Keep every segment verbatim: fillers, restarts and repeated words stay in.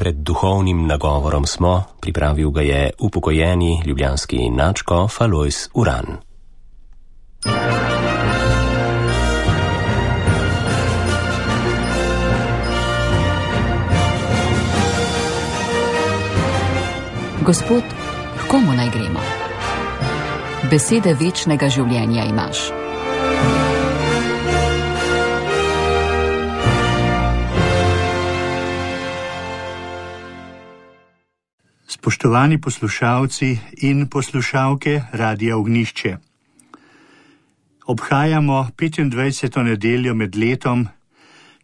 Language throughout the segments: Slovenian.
pred duhovnim nagovorom smo, pripravil ga je upokojeni ljubljanski nadškof Alojz Uran. Gospod, k komu naj gremo? Besede večnega življenja imaš. Spoštovani poslušalci in poslušalke Radia Ognjišče. Obhajamo petindvajseto nedeljo med letom,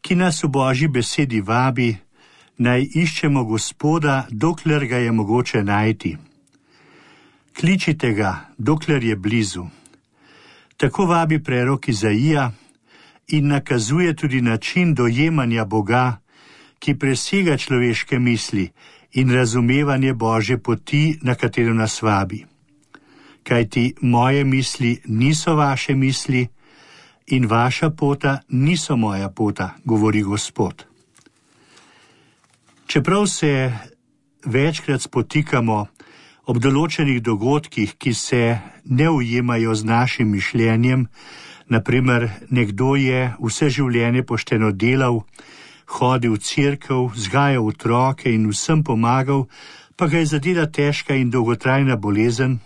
ki nas v Božji besedi vabi, naj iščemo Gospoda, dokler ga je mogoče najti. Kličite ga, dokler je blizu. Tako vabi prerok Izaija in nakazuje tudi način dojemanja Boga, ki presega človeške misli in razumevanje Božje poti, na katero nas vabi. Kajti moje misli niso vaše misli in vaša pota niso moja pota, govori Gospod. Čeprav se večkrat spotikamo ob določenih dogodkih, ki se ne ujemajo z našim mišljenjem, naprimer nekdo je vse življenje pošteno delal, hodil v cerkev, vzgajal otroke in vsem pomagal, pa ga je zadela težka in dolgotrajna bolezen.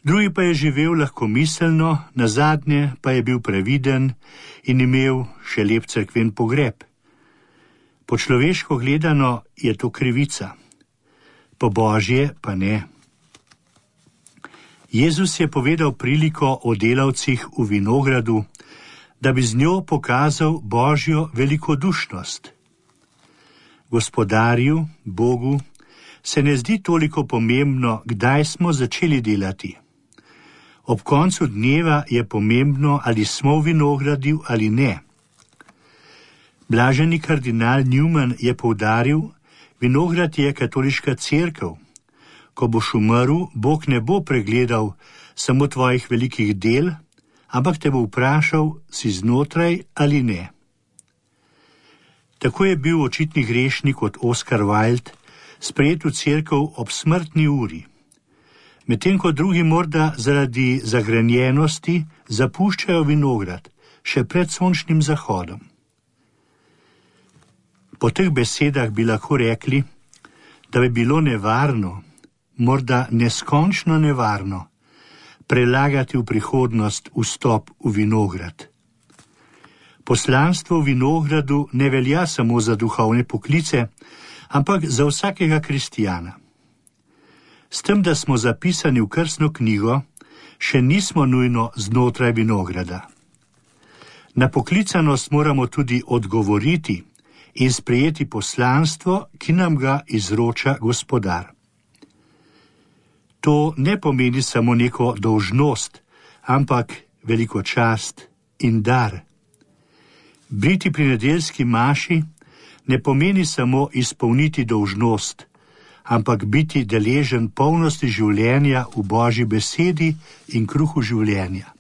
Drugi pa je živel lahkomiselno, nazadnje pa je bil previden in imel še lep cerkven pogreb. Po človeško gledano je to krivica, po Božje pa ne. Jezus je povedal priliko o delavcih v vinogradu, da bi z njo pokazal Božjo velikodušnost. Gospodarju, Bogu, se ne zdi toliko pomembno, kdaj smo začeli delati. Ob koncu dneva je pomembno, ali smo v vinogradu ali ne. Blaženi kardinal Newman je poudaril, vinograd je katoliška cerkev. Ko boš umrl, Bog ne bo pregledal samo tvojih velikih del, ampak te bo vprašal, si znotraj ali ne. Tako je bil očitni grešnik kot Oscar Wilde sprejet v cerkev ob smrtni uri. Medtem ko drugi morda zaradi zagrenjenosti zapuščajo vinograd še pred sončnim zahodom. Po teh besedah bi lahko rekli, da bi bilo nevarno, morda neskončno nevarno, prelagati v prihodnost vstop v vinograd. Poslanstvo v vinogradu ne velja samo za duhovne poklice, ampak za vsakega kristjana. S tem, da smo zapisani v krstno knjigo, še nismo nujno znotraj vinograda. Na poklicanost moramo tudi odgovoriti in sprejeti poslanstvo, ki nam ga izroča Gospodar. To ne pomeni samo neko dolžnost, ampak veliko čast in dar. Biti pri nedeljski maši ne pomeni samo izpolniti dolžnost, ampak biti deležen polnosti življenja v Božji besedi in kruhu življenja.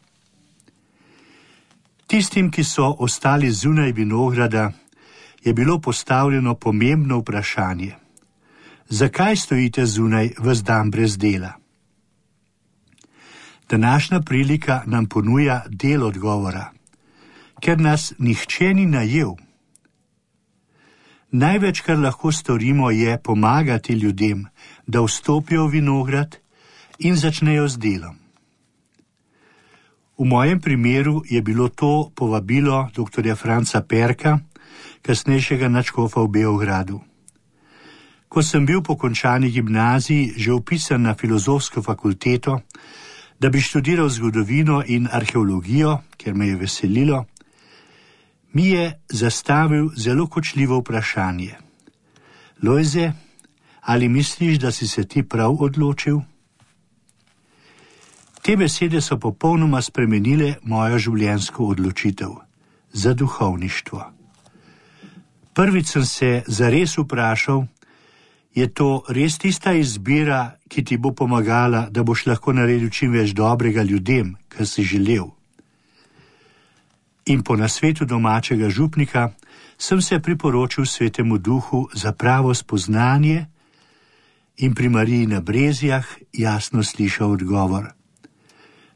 Tistim, ki so ostali zunaj vinograda, je bilo postavljeno pomembno vprašanje. Zakaj stojite zunaj ves dan brez dela? Današnja prilika nam ponuja del odgovora, ker nas nihče ni najel. Največ, kar lahko storimo, je pomagati ljudem, da vstopijo v vinograd in začnejo z delom. V mojem primeru je bilo to povabilo doktorja Franca Perka, kasnejšega nadškofa v Beogradu. Ko sem bil po končani gimnaziji že vpisan na filozofsko fakulteto, da bi študiral zgodovino in arheologijo, ker me je veselilo, mi je zastavil zelo kočljivo vprašanje. Lojze, ali misliš, da si se ti prav odločil? Te besede so popolnoma spremenile mojo življenjsko odločitev za duhovništvo. Prvič sem se zares vprašal, je to res tista izbira, ki ti bo pomagala, da boš lahko naredil čim več dobrega ljudem, kar si želel. In po nasvetu domačega župnika sem se priporočil Svetemu Duhu za pravo spoznanje in pri Mariji na Brezjah jasno slišal odgovor: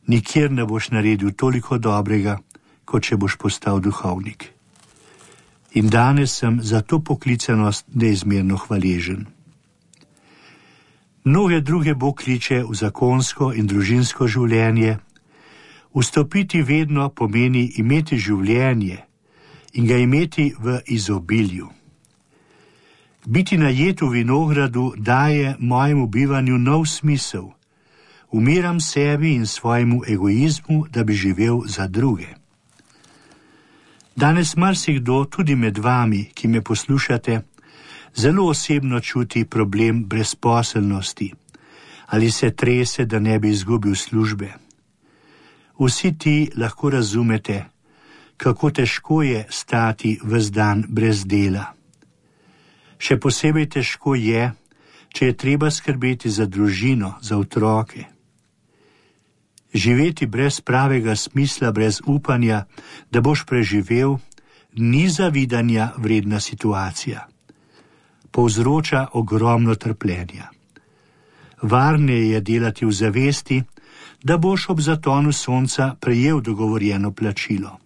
nikjer ne boš naredil toliko dobrega, kot če boš postal duhovnik. In danes sem za to poklicanost neizmerno hvaležen. Mnoge druge Bog kliče v zakonsko in družinsko življenje. Vstopiti vedno pomeni imeti življenje in ga imeti v izobilju. Biti najet v vinogradu daje mojemu bivanju nov smisel. Umiram sebi in svojemu egoizmu, da bi živel za druge. Danes marsikdo, tudi med vami, ki me poslušate, zelo osebno čuti problem brezposelnosti ali se trese, da ne bi izgubil službe. Vsi ti lahko razumete, kako težko je stati ves dan brez dela. Še posebej težko je, če je treba skrbeti za družino, za otroke. Živeti brez pravega smisla, brez upanja, da boš preživel, ni zavidanja vredna situacija. Povzroča ogromno trpljenja. Varneje je delati v zavesti, da boš ob zatonu sonca prejel dogovorjeno plačilo.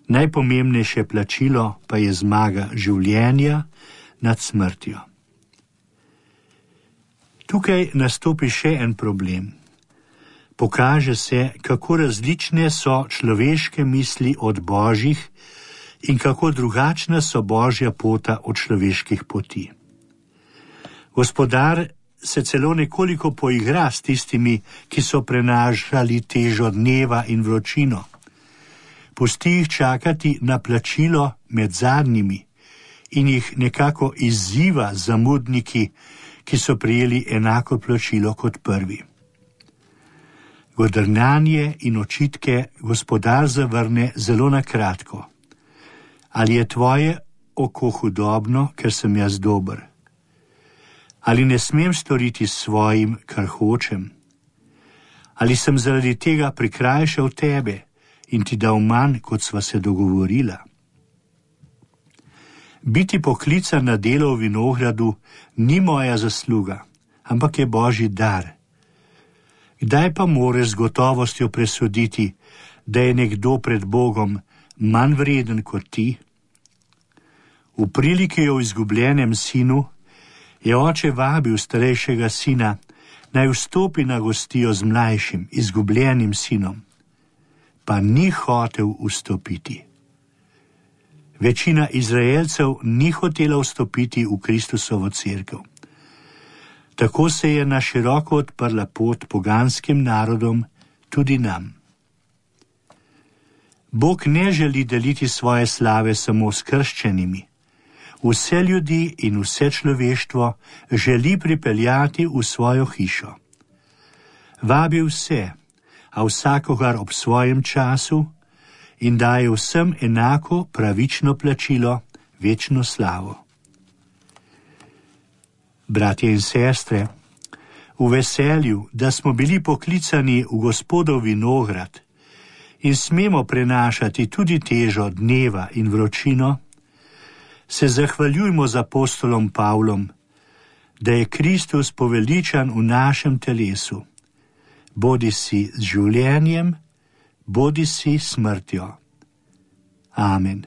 Najpomembnejše plačilo pa je zmaga življenja nad smrtjo. Tukaj nastopi še en problem. Pokaže se, kako različne so človeške misli od božjih in kako drugačna so božja pota od človeških poti. Gospodar se celo nekoliko poigra s tistimi, ki so prenašali težo dneva in vročino. Pusti jih čakati na plačilo med zadnjimi in jih nekako izziva zamudniki, ki so prijeli enako plačilo kot prvi. Godrnjanje in očitke gospodar zavrne zelo na kratko. Ali je tvoje oko hudobno, ker sem jaz dober? Ali ne smem storiti svojim, kar hočem? Ali sem zaradi tega prikrajšal tebe in ti dal manj, kot sva se dogovorila? Biti poklican na delo v vinogradu ni moja zasluga, ampak je božji dar. Kdaj pa moreš z gotovostjo presoditi, da je nekdo pred Bogom manj vreden kot ti? V priliki o izgubljenem sinu je oče vabil starejšega sina, naj vstopi na gostijo z mlajšim, izgubljenim sinom, pa ni hotel vstopiti. Večina Izraelcev ni hotela vstopiti v Kristusovo cerkev. Tako se je na široko odprla pot poganskim narodom, tudi nam. Bog ne želi deliti svoje slave samo s krščenimi. Vse ljudi in vse človeštvo želi pripeljati v svojo hišo. Vabi vse, a vsakogar ob svojem času in daje vsem enako pravično plačilo, večno slavo. Bratje in sestre, v veselju, da smo bili poklicani v Gospodov vinograd in smemo prenašati tudi težo dneva in vročino, se zahvaljujmo z apostolom Pavlom, da je Kristus poveličan v našem telesu, bodi si z življenjem, bodi si smrtjo. Amen.